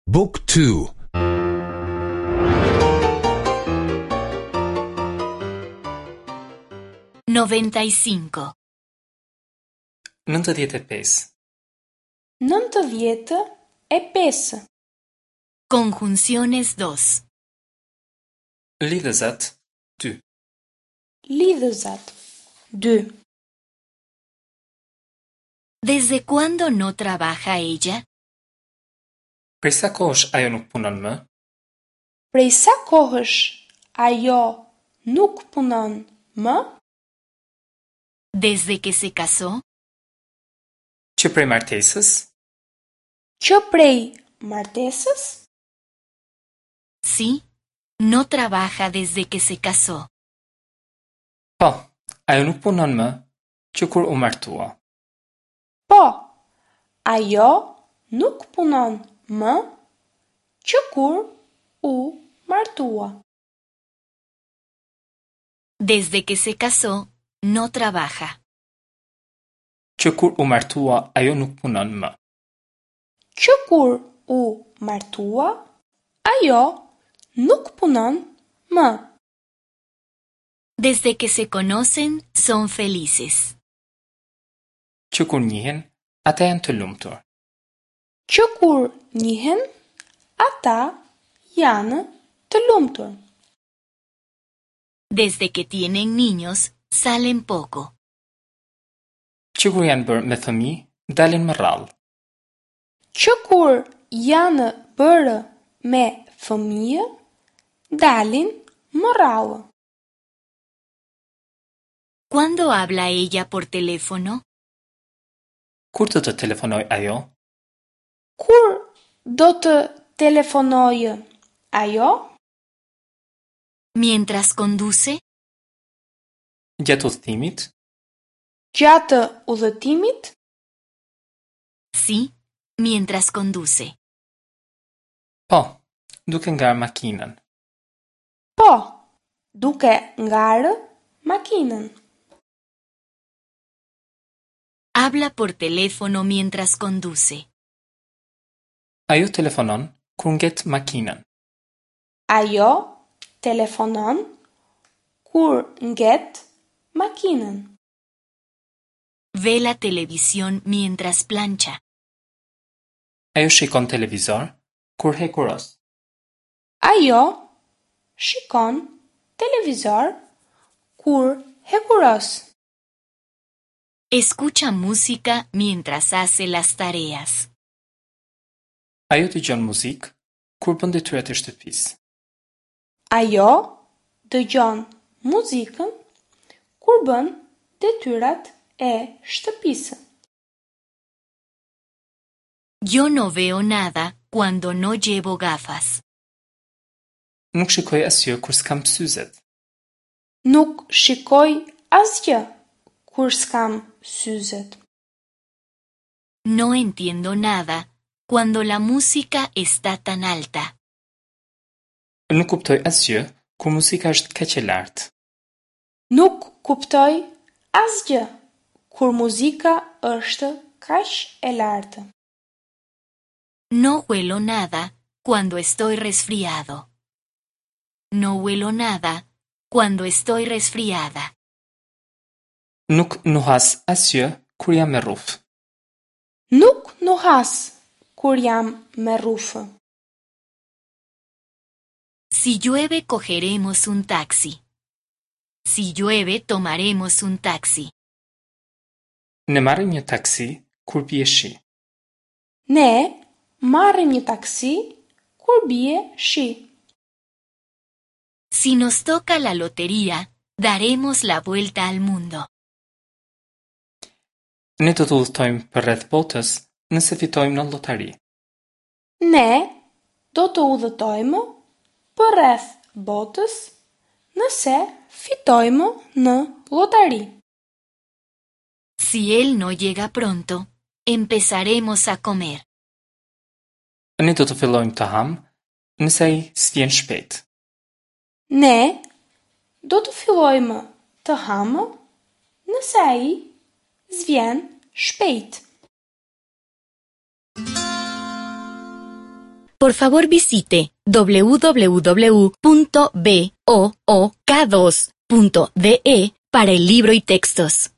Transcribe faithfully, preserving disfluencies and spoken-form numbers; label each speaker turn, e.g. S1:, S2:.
S1: Book two.
S2: Noventa y cinco.
S3: Nëntëdhjetë e pesë.
S4: Nëntëdhjetë e pesë.
S2: Conjunciones dos.
S3: Lidhëzat dy.
S4: Lidhëzat dy.
S2: ¿Desde cuándo no trabaja ella?
S3: Prej sa kohësh ajo nuk punon më?
S4: Prej sa kohësh ajo nuk punon më?
S2: Desde que se casó?
S3: Që prej martesës?
S4: Që prej martesës?
S2: Sí, no trabaja desde que se casó.
S3: Po, ajo nuk punon më që kur u martua.
S4: Po, ajo nuk punon më që kur u martua.
S2: Desde que se casó, no trabaja.
S3: Që kur u martua, ajo nuk punon më.
S4: Që kur u martua, ajo nuk punon më.
S2: Desde que se conocen, son felices.
S3: Që kur njihen, ata janë të lumtur.
S4: Që kur njihen, ata janë të lumtur.
S2: Desde que tienen niños, salen poco.
S3: Që kur janë bërë me fëmijë, dalin më rrallë.
S4: Që kur janë bërë me fëmijë, dalin më rrallë.
S2: ¿Cuándo habla ella por teléfono?
S3: Kur do të telefonoj ajo?
S4: Kur do të telefonojë ajo?
S2: Mientras conduce?
S3: Gjatë udhëtimit?
S4: Gjatë udhëtimit?
S2: Sí, mientras conduce.
S3: Po, duke ngarë makinën.
S4: Po, duke ngarë makinën.
S2: Habla por teléfono mientras conduce.
S3: Ajo telefonon kur nget makinën.
S4: Ajo telefonon kur nget makinën.
S2: Ve la televisión mientras plancha.
S3: Ajo shikon televizor kur hekuros.
S4: Ajo shikon televizor kur hekuros.
S2: Escucha música mientras hace las tareas.
S3: Ajo dëgjon muzikë kur bën detyrat e shtëpisë.
S4: Ajo dëgjon muzikën kur bën detyrat e shtëpisë.
S2: Yo no veo nada cuando no llevo gafas.
S3: Nuk shikoj asgjë kur s'kam syzet.
S4: Nuk shikoj asgjë kur s'kam syzet.
S2: No entiendo nada cuando la música está tan alta.
S3: Nuk kuptoj asgjë kur muzika është kaq e lartë.
S4: Nuk kuptoj asgjë kur muzika është kaq e lartë.
S2: No huelo nada cuando estoy resfriado. No huelo nada cuando estoy resfriada.
S3: Nuk nuhas asgjë kur jam me rrufë.
S4: Nuk nuhas kur jam me rrufë.
S2: Si llueve cogeremos un taxi. Si llueve tomaremos un taxi.
S3: Ne marrim një taksi kur bie shi.
S4: Ne marrim një taksi kur bie shi.
S2: Si nos toca la lotería, daremos la vuelta al mundo.
S3: Ne do të udhëtojmë përreth botës nëse fitojmë në llotari.
S4: Ne do të udhëtojmë përreth botës nëse fitojmë në llotari.
S2: Si él no llega pronto, empezaremos a comer.
S3: Ne do të fillojmë të ham nëse ai s'vjen shpejt.
S4: Ne do të fillojmë të hamë nëse ai s'vjen shpejt.
S2: Por favor visite w w w punto b o o k dos punto d e para el libro y textos.